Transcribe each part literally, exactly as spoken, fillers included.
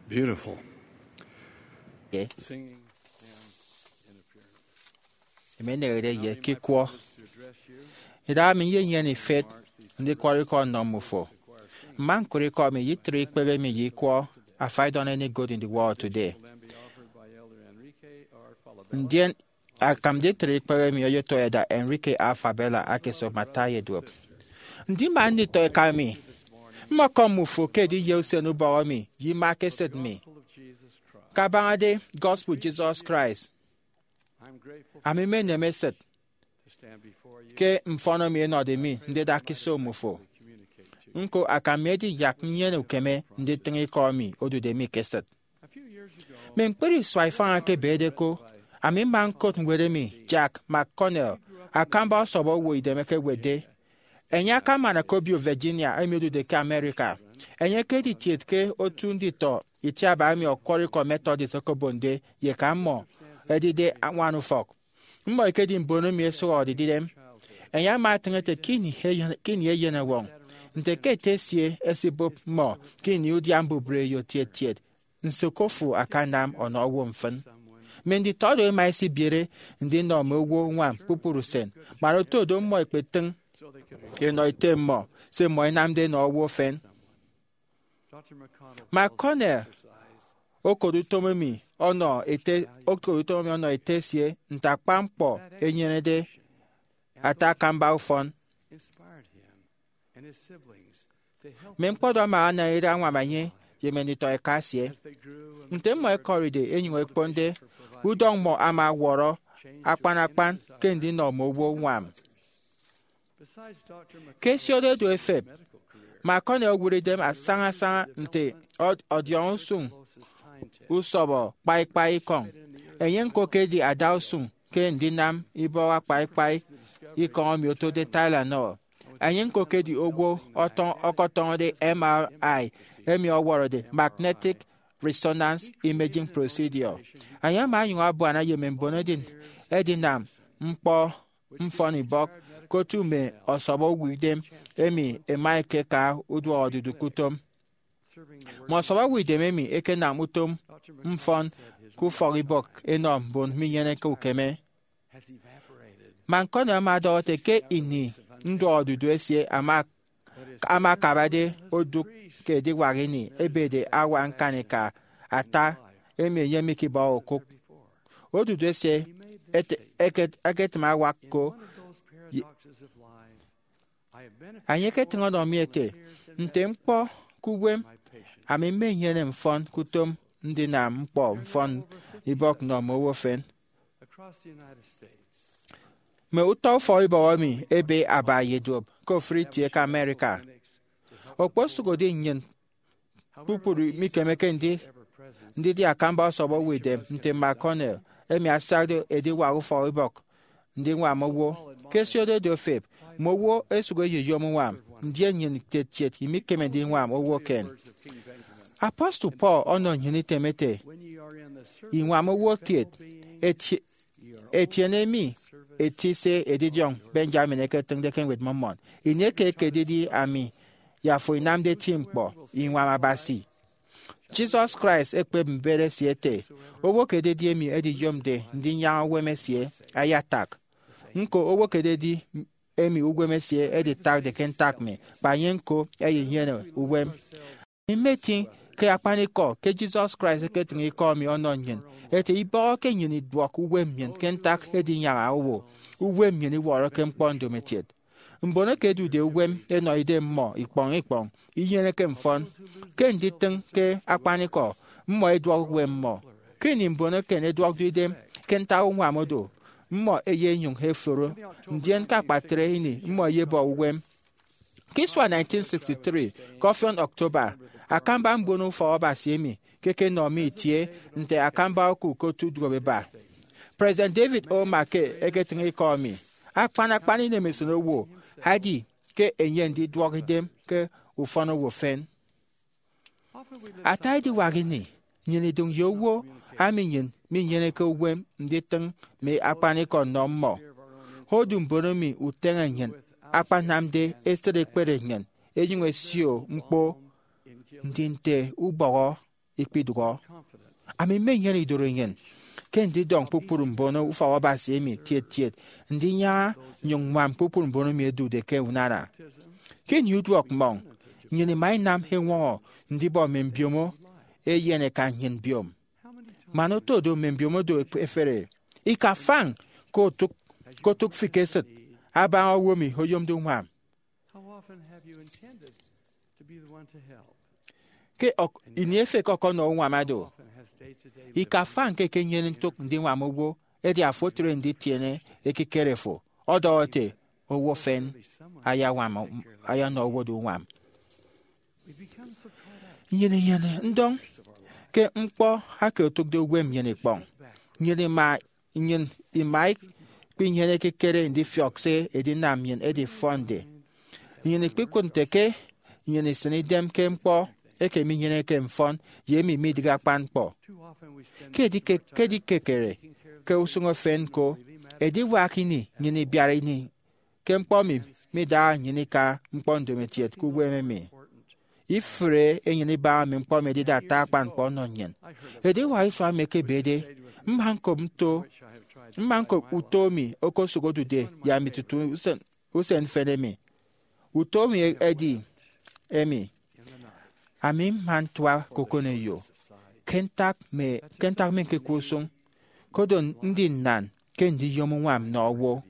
Beautiful. Emi eneñede ye ke ikwọ. Idaha mi nyenyene ifet ndikwọrọ ikọ nnọ mmufo. Mma ñkụre ikọ mi ye itre ikpehe mi ye ikwọ Have I Done Any Good in the World Today? Ndien akam nditre ikpehe mi oyotọ Elder Enrique R. Fabela ake esop mme ata ye duop. Ndima nditọ eka mi, mmọkọm mmufo ke ediye usen ubọhọ mi ye ima ke esịt mi. Kabañade gospel Jesus Christ, ami mmenem esịt ke mfọn emi enọde mi ndida ke iso mmufo. Ñko akam mi edi yak nnyene ukeme nditịñ ikọ emi odude mi ke esịt. Mme ñkpri isua ifañ eke ebede ko, ami mma ñkot ñwed emi Jack McConnell, akamba ọsọbọ owo idem, ekewetde. Enye akaman ke obio Virginia emi odude ke America. Enye ekedi kiet ke otu nditọ itiaba emi ọkwọrọ ikọ Methodist okobonde ye eka mmọ ẹdide añwan ufọk. Mmọ ẹkedi mbon emi ẹsụhọde idem. Enye ama etịñ ete ke ini eyen-, ke ini eyen ẹwọñ, nte ke ete esie esibụp mmọ ke ini udia mbubreyo tiet tiet, nso ke ofo akanam ọnọ owo mfịn? Mme nditọ do ẹma ẹsibiere ndinọ mme owo uñwam kpukpru usen, man oto do mmọ ẹkpetịñ ẹnọ ete mmọ se mmọ ẹnamde ẹnọ owo efen. McConnell okot utom emi ọnọ ete, okot utom emi ọnọ ete esie nte akpan ñkpọ enyenede ata akamba ufọn. Mme ñkpọdọk ama anaña idara añwam enye ye mme nditọ eka esie. Nte mmọ ẹkọride ẹnyụñ ẹkponde, udọñ mmọ ama ọwọrọ akpan akpan ke ndinọ mme owo uñwam. Ke ẹsiode do ẹfep, McConnell owụt idem asaña asaña nte ọd-, ọdiọñ usụñ usọbọ kpaikpai ikọñ. Enye ñko ekedi adausụñ ke ndinam ibọhọ akpaikpai ikọñ emi otode Tylenol. Enye ñko ekedi owo ọtọñ-, ọkọtọñọde M R I emi ọwọrọde magnetic resonance imaging procedure. Enye ama onyụñ abuana ye mme mbon edin-, edinam ñkpọ mfọn ibọk ke otu mme ọsọbọ owo idem emi ẹma ẹkeka uduak odudu ke utom. Mme ọsọbọ owo idem emi ẹkenam utom mfọn ke ufọk ibọk ẹnọ mbon minyeneke ukeme. McConnell ama ọdọhọ ete ke ini nduọk odudu esie ama, ama akabade odụk ke ediwak ini, ebede awa ñkanika ata emi enye mikibọhọ okụk. Odudu esie ete-, eket-, eketịm awak ko. Enye eketịñ ọnọ mi ete, nte ñkpọ ke uwem, ami mmenyene mfọn ke utom ndinam ñkpọ mfọn ibọk nnọ mme owo efen. Mme utọ ufọkibọk emi ebe aba ye duop ke ofụri itie ke America. Okposụkedi nnyịn kpukpru mikemeke ndi-, ndidi akamba ọsọbọ owo idem nte McConnell, emi asiakde ediwak ufọkibọk ndiñwam owo. Ke ẹsiode do ẹfep, mme owo ẹsụk ẹyeyom uñwam, ndien nnyịn kiet kiet imikeme ndiñwam owo eken. Apostle Paul ọnọ nnyịn item ete, iñwam owo kiet, eti-, etiene mi eti se edidiọñ Benjamin eketịñde ke Ñwed Mormon. Ini eke ekededi ami ye afo inamde eti ñkpọ, iñwam Abasi. Jesus Christ ekpep mbet esie ete, owo ke ededi emi ediyomde ndinyaña uwem esie, ayatak. Ñko, owo ke ededi emi uwem esie editakde ke ntak mi, kpa enye ñko eyenyene uwem. Ami mmetiñ ke akpanikọ ke Jesus Christ eketịñ ikọ emi ọnọ nnyịn, ete ibọhọke nnyịn iduọk uwem nnyịn ke ntak edinyaña owo. Uwem nnyịn iwọrọke ñkpọ ndomokiet. Mbon eke ẹdude uwem ẹnọ idem mmọ ikpọñ ikpọñ inyeneke mfọn. Ke nditịñ ke akpanikọ, mmọ ẹduọk uwem mmọ. Ke ini mbon eken ẹduọkde idem ke ntak uñwam odo, mmọ ẹyenyụñ ẹforo, ndien ke akpatre ini mmọ ẹyebọ uwem. Ke isua nineteen sixty-three, ke ọfiọñ October, akamba mbono ufọk Abasi emi ke ẹkenọ mi itie nte akamba oku ke otu duop eba. President David O. McKay eketịñ ikọ mi, akpan akpan inemesịt owo edi ke enye ndiduọk idem ke ufọn owo efen. Ata ediwak ini, nnyịn idụñ ye owo ami nnyịn minyeneke uwem nditịñ mme akpanikọ nnọ mmọ. Odu mbon emi uteñe nnyịn akpanamde esịt ekpere nnyịn, enyụñ esio ñkpo ndi nte ubọhọ ikpidụhọ. Ami mmenyene idorenyin ke ndidọñ kpukpru mbono ufọk Abasi emi tiet tiet ndinyaña nnyụñ ññwam kpukpru mbon emi ẹdude ke unana. Ke ini uduọk mmọñ, nnyịn ima inam eñwọñọ ndibọ mme mbiomo eyen ẹkan nnyịn mbiom. Man oto do, mme mbiomo do ẹfere. Ika fañ ke otụk, ke otụk fi ke esịt abaña owo emi oyomde uñwam. Ke ini efek ọkọnọ uñwam do, ika fañ ke ekenyene ntụk ndiñwam owo, edi afo otre nditiene ekikere fo, ọdọhọ ete, owo efen ayañwam, ayanọ owo do uñwam. Nnyịn inyene ndọñ ke ñkpọ eke otụkde uwem nnyịn ikpọñ. Nnyịn ima, nnyịn ima ikpinyene ekikere ndifiọk se edinam nnyịn edifọnde. Nnyịn ikpikụt nte ke nnyịn isịn idem ke ñkpọ eke minyeneke mfọn ye emi midịghe akpan ñkpọ. Ke edikekere ke usụñ efen ñko, ediwak ini nnyịn ibiara ini ke ñkpọ emi midaha nnyịn ika ñkpọ ndomokiet ke uwem emi. Ifụre enyịn ibaña mme ñkpọ emi edide ata akpan ñkpọ ọnọ nnyịn. Ediwak isua emi ekebede, mma ñkop nto, mma ñkop uto emi okosụk odude ye ami tutu usen, usen mfịn emi. Uto emi edi emi, ami mma ntua ke okoneyo ke ntak mme, ke ntak mme ñkekwe usụñ, kodo ndi nnan ke ndiyom uñwam nnọ owo.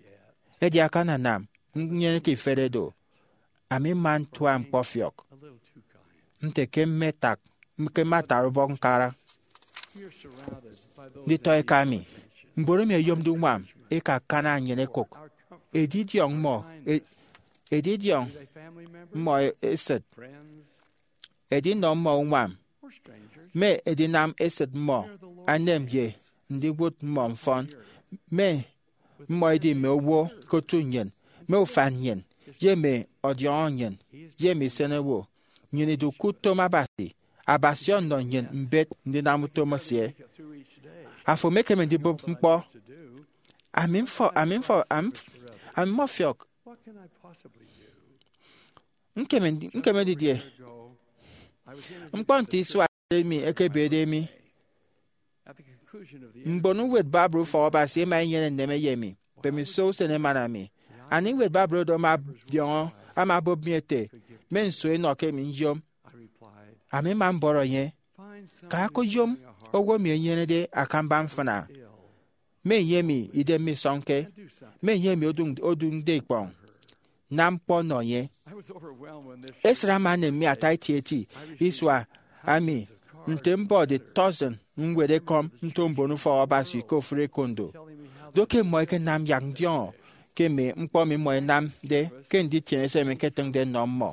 Edi akananam nnyeneke ifet edo, ami mma ntua ñkpọfiọk nte ke mme tak, ke mme atara ubọk ñkara. Nditọ eka mi, mbon emi ẹyomde uñwam eka akana nnyịn ẹkụk edidiọñ mmọ, e-, edidiọñ mmọ esịt, edinọ mmọ uñwam, mme edinam esịt mmọ, anem ye ndiwụt mmọ mfọn, mme mmọ edi mme owo ke otu nnyịn, mme ufan nnyịn, ye mme ọdiọñọ nnyịn, ye mme isenowo. Nnyịn idu ke utom Abasi. Abasi ọnọ nnyịn mbet ndinam utom esie. Afo emekeme ndibụp ñkpọ. Ami mfọ-, ami mfọ-, am-, ami mmọfiọk. Nkeme ndi-, nkeme didie? Ñkpọ nte isua emi ekebede mi. Mbon ñwed Bible Ufọk Abasi ẹma ẹnyene nneme ye mi. Mbemiso usen emana mi, anie ñwed Bible oro ama ọdiọñọ, ama obụp mi ete, mme nso enọ ke emi nyom? Ami mma mbọrọ enye, ka koyom owo emi enyenede akamba mfịna, mme enye emi idem misọñke, mme enye emi oduñ-, oduñde ikpọñ, nam ñkpọ nọ enye. Esịt ama enem mi ata etieti isua emi nte mbọde tọsịn ñwed ekọm nto mbon ufọk Abasi ke ofụri ekondo. Do ke mmọ ẹkenam yak ndiọñọ ke mme ñkpọ emi mmọ ẹnamde ke nditiene se emi ñketịñde nnọ mmọ.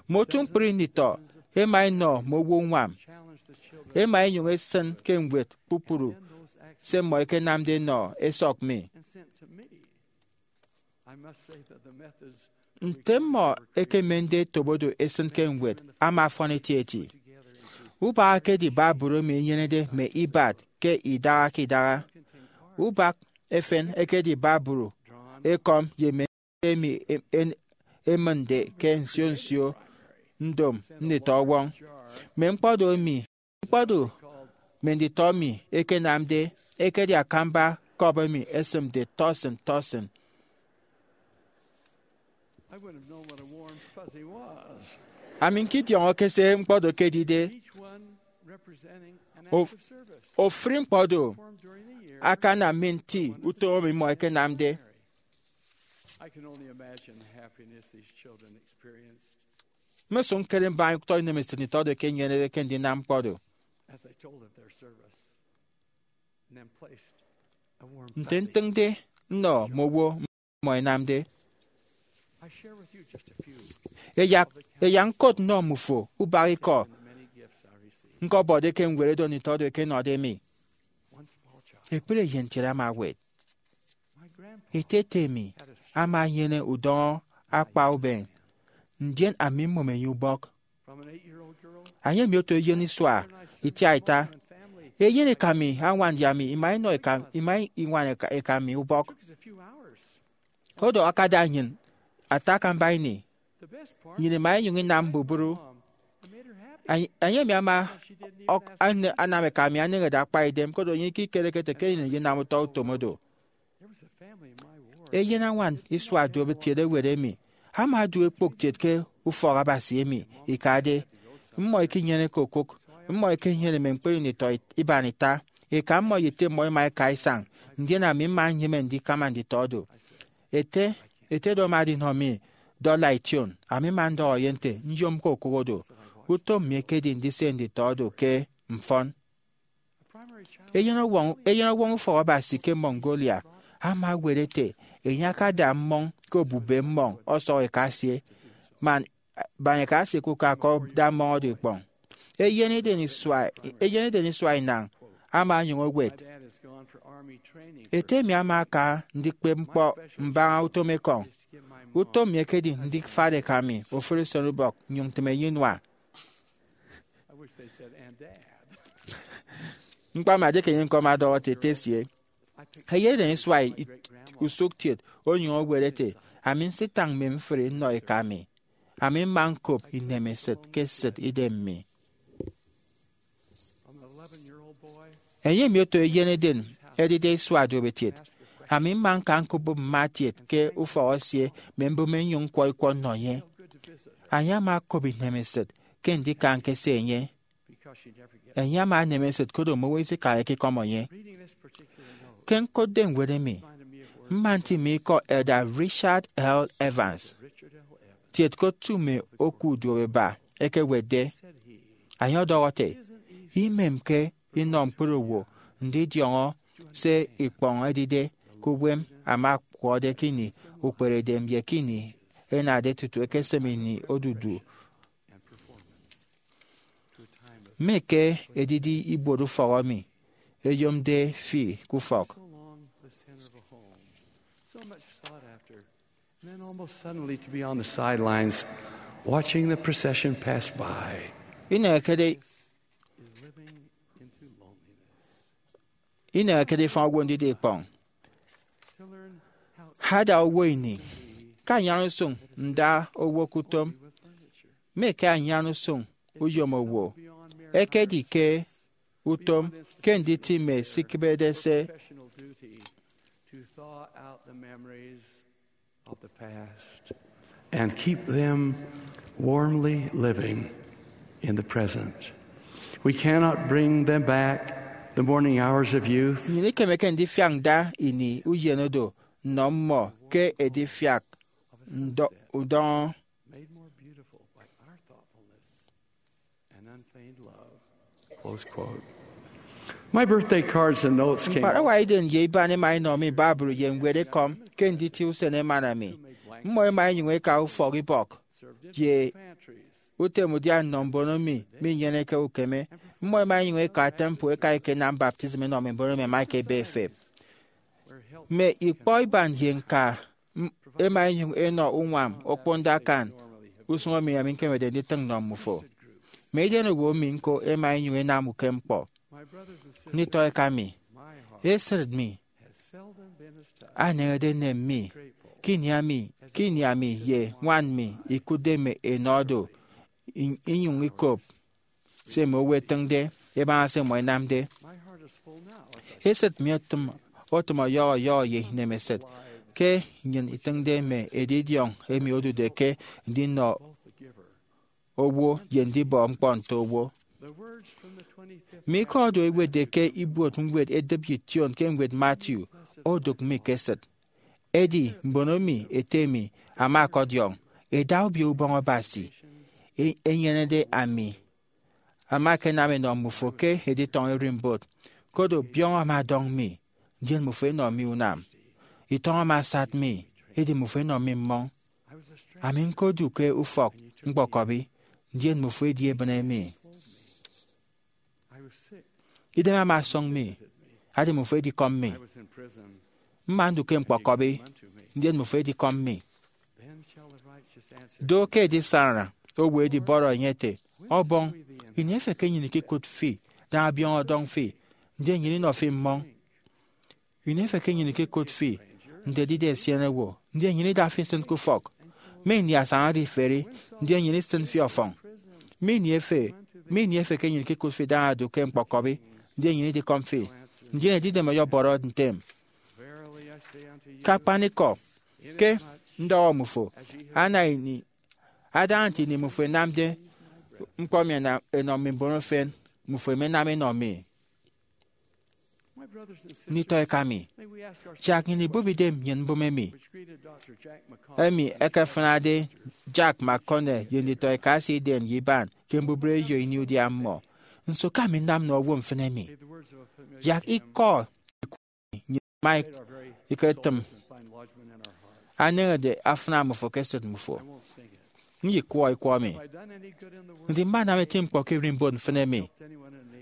Mme otu ñkpri nditọ ẹma ẹnọ mme owo uñwam, ẹma ẹnyụñ ẹsịn ke ñwed kpukpru se mmọ ẹkenamde ẹnọ ẹsọk mi. Nte mmọ ẹkemende ẹtobo do ẹsịn ke ñwed ama afọn etieti. Ubak ekedi Bible emi enyenede mme ibat ke idaha ke idaha. Ubak efen ekedi Bible ekọm ye mme emi em-, en-, emịñde ke nsio nsio ndom nditọ ọwọñ. Mme ñkpọ do emi, ñkpọ do mme nditọ emi ẹkenamde ekedi akamba cup emi esịmde tọsịn tọsịn. Ami ñkidiọñọke se ñkpọ do ekedide. Of-, ofụri ñkpọ do akanam mi nti utom emi mmọ ẹkenamde. Mmesụk ñkere mbaña utọ inemesịt nditọ do ẹkenyenede ke ndinam ñkpọ do. Nte ntịñde nnọ mme owo mmọ ẹnamde. Ẹyak, ẹyak ñkot nnọ mmufo ubak ikọ ñkọbọde ke ñwed edo nditọ do ẹkenọde mi. Ekpri eyen kiet ama ewet. Ete ete mi ama enyene udọñọ akpa uben, ndien ami mmom enye ubọk. Anie emi oto eyen isua itiaita? Eyen eka mi añwan ye ami ima inọ eka, ima iñwan eka, eka mi ubọk. Odo akada nnyịn ata akamba ini. Nnyịn ima inyụñ inam mbubru. Enye emi ama anam eka mi aneñede akpa idem, koro enye ikikereke ete ke enyịn eyinam utọ utom oro. Eyenañwan isua duopetiet ewet emi ama odu ekpok kiet ke ufọk Abasi emi ikade. Mmọ ikinyeneke okụk, mmọ ikinyene mme ñkpri nditọ iban ita. Eka mmọ ye ete mmọ ima ika isañ, ndien ami mma nnyịme ndikama nditọ do. Ete ete do ama adinọ mi dọla ition, ami mma ndọhọ ye nte nyomke okụk oro. Utom mi ekedi ndise nditọ do ke mfọn. Eyenọwọñ ufọk Abasi ke Mongolia ama ewet ete enye akada mmọñ ke obube mmọñ ọsọk eka esie, man baña eka esie ke uka, ọkọda mmọñ oro ikpọñ. Eyeneden isua inañ ama onyụñ ewet ete emi ama aka ndikpep ñkpọ mbaña utom ekọñ. Utom mi ekedi ndifat eka mi ofụri usenubọk nnyụñ ntịm enye inua. Ñkpamade ke enye ñko ama ọdọhọ ete ete esie. Eyeneden isua usụkkiet onyụñ ewet ete, ami nsitañ mme mfri nnọ eka mi. Ami mma ñkop inemesịt ke esịt idem mi. Enye emi oto eyeneden edide isua duopetiet, ami mma ñka ñkop mme atiet ke ufọk esie mme mbụme nnyụñ ñkwọ ikwọ nnọ enye. Enye ama okop inemesịt ke ndika ñkese enye. Enye ama enem esịt koro mme owo isika ikikọm enye. Ke ñkotde ñwed emi, mma ntịme ikọ Elder Richard L. Evans, kiet ke otu mme oku uduoeba, ekewetde. Enye ọdọhọ ete, imemke inọ ñkpri owo ndidiọñọ se ikpọñ edide ke uwem ama ọkwọrọde ke ini ukperedem ye ke ini enade tutu ekesem ini odudu. Mme ke edidi ibuot ufọk emi eyomde fi ke ufọk. And then almost suddenly to be on the sidelines watching the procession pass by. Inehekede Is living into loneliness. Inehekede ifañ owo ndida ikpọñ. To learn how ada owo ini ke anyan usụñ nda owo ke utom, mme ke anyan usụñ uyom owo, ekedi ke utom ke nditi mme sikịbede se. Professional duty to thaw out the memories of the past and keep them warmly living in the present. We cannot bring them back the morning hours of youth. Nnyịn ikemeke ndifiak nda ini uyen oro nnọ mmọ ke edifiak ndọ-, udọñọ. Made more beautiful by our thoughtfulness and unfeigned love. Close quote. My birthday cards and notes came. Ñkparawa idem ye iban ẹma ẹnọ mi babru ye ñwed ekọm ke nditie usen emana mi. Mmọ ẹma ẹnyụñ ẹka ufọk ibọk ye utem udia nnọ mbon emi minyeneke ukeme. Mmọ ẹma ẹnyụñ ẹka temple ẹka ẹkenam baptism ẹnọ mme mbon emi ẹma ẹkebe ẹfep. Mme ikpọ iban ye ñka m-, ẹma ẹnyụñ ẹnọ uñwam okponde akan usụñ emi ami ñkemede nditịñ nnọ mmufo. Mme edenowo mi ñko ẹma ẹnyụñ ẹnam ukem ñkpọ. Nditọ eka mi, esịt mi aneñede enem mi ke ini ami, ke ini ami ye ñwan mi ikụtde mme enọ do, in-, inyụñ ikop se mme owo ẹtịñde ẹbaña se mmọ ẹnamde. Esịt mi otịm, otịm ọyọhọ ọyọhọ ye inemesịt ke nnyịn itịñde mme edidiọñ emi odude ke ndinọ owo ye ndibọ ñkpọ nto owo. Mme ikọ oro ẹwetde ke ibuot ñwed edịp ye ition ke ñwed Matthew odụk mi ke esịt. Edi mbon emi ete mi ama ọkọdiọñ, eda Obio Ubọñ Abasi e-, enyenede ami ama akanam ẹnọ mmufo ke editọñ ererimbot. Koro biọñ ama ọdọñ mi, ndien mmufo ẹnọ mi unam. Itọñ ama asat mi, edi mmufo ẹnọ mi mmọñ. Ami ñkodu ke ufọk ñkpọkọbi, ndien mmufo ẹdi ẹbịne mi. Idem ama ọsọñ mi, edi mmufo ẹdikọm mi. Mma ndu ke ñkpọkọbi, ndien mmufo ẹdikọm mi. Do ke edisana owo edibọrọ enye ete, Ọbọñ, ini efe ke nnyịn ikikụt fi, da abiọñ ọdọñ fi, ndien nnyịn inọ fi mmọñ? Ini efe ke nnyịn ikikụt fi nte edide esienewo, ndien nnyịn ida fi nsịn ke ufọk? Mme ini asañade iferi, ndien nnyịn isịn fi ọfọñ. Mme ini efe, mme ini efe ke nnyịn ikekụt fi idaña do ke ñkpọkọbi, ndien nnyịn idikọm fi. Ndien edidem ọyọbọrọ ntem. Ke akpanikọ, ke ndọhọ mmufo, ana ini, adaña nte ini mmufo ẹnamde ñkpọ emi ẹnam ẹnọ mme mbon efen, mmufo ẹmenam ẹnọ mi. Nditọ eka mi, yak nnyịn ibụp idem nnyịn mbụme emi, emi ẹkefịnade Jack McConnell ye nditọ eka esie idem ye iban ke mbubreyo ini udia mmọ. Nso ke ami nnam nnọ owo mfịn emi? Yak ikọ nnyịn ima iketịm aneñede afịna mmufo ke esịt mmufo. Ndikwọ ikwọ mi. Ndi mmanam eti ñkpọ ke ererimbot mfịn emi?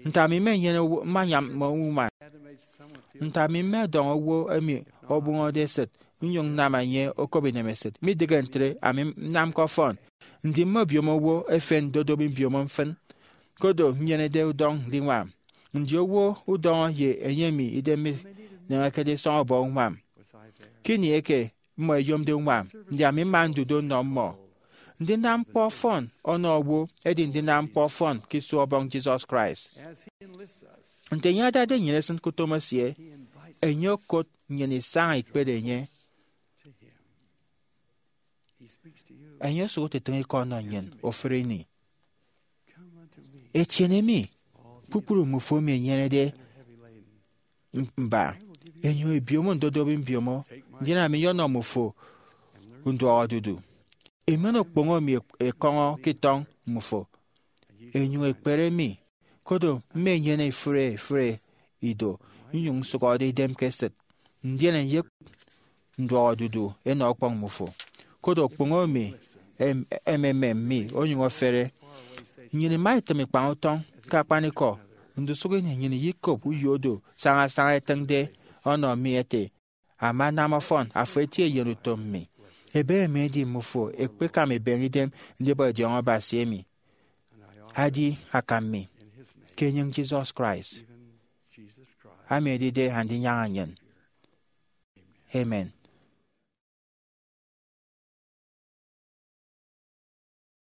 Nte ami mmenyene owo, mmanyam mme unwam? Nte ami mmedọñ owo emi obụñọde esịt nnyụñ nnam enye okop inemesịt? Midịghe ntre, ami nnamke ọfọn. Ndi mmebiom owo efen ndodobi mbiomo mfịn? Kodo nnyenede udọñ ndiñwam. Ndi owo udọñọ ye enye emi idem mineñekede isọñ ọbọ uñwam? Ke ini eke mmọ ẹyomde uñwam, ndi ami mma ndudo nnọ mmọ? Ndinam ñkpọ ọfọn ọnọ owo edi ndinam ñkpọ ọfọn ke isua Ọbọñ Jesus Christ. Nte enye adade nnyịn esịn ke utom esie, enye okot nnyịn isaña ikpere enye. Enye osụk otịtịñ ikọ ọnọ nnyịn ofụri ini. Etiene mi, kpukpru mmufo emi ẹnyenede mba, enyụñ ebiomo ndodobi mbiomo, ndien ami nyọnọ mmufo nduọk odudu. Emen okpoño mi ekọñọ ke itọñ mmufo, enyụñ ekpere mi. Kodo mmenyene ifụre ifụre ido, nnyụñ nsụhọde idem ke esịt, ndien nyekụt nduọk odudu enọ ọkpọñ mmufo. Kodo okpoño mi em- ememem mi onyụñ ofere. Nnyịn ima itịm ikpañ utọñ. Ke akpanikọ, ndusụk ini nnyịn iyikop uyo do sañasaña ẹtịñde ọnọ mi ẹte, Ama anam ọfọn, afo eti eyen utom mi. Ebe emi edi mmufo ekpekam ebeñe idem ndibọ idiọñọ Abasi emi. Adi akam mi, ke enyịñ Jesus Christ, ami edide Andinyaña nnyịn. Amen.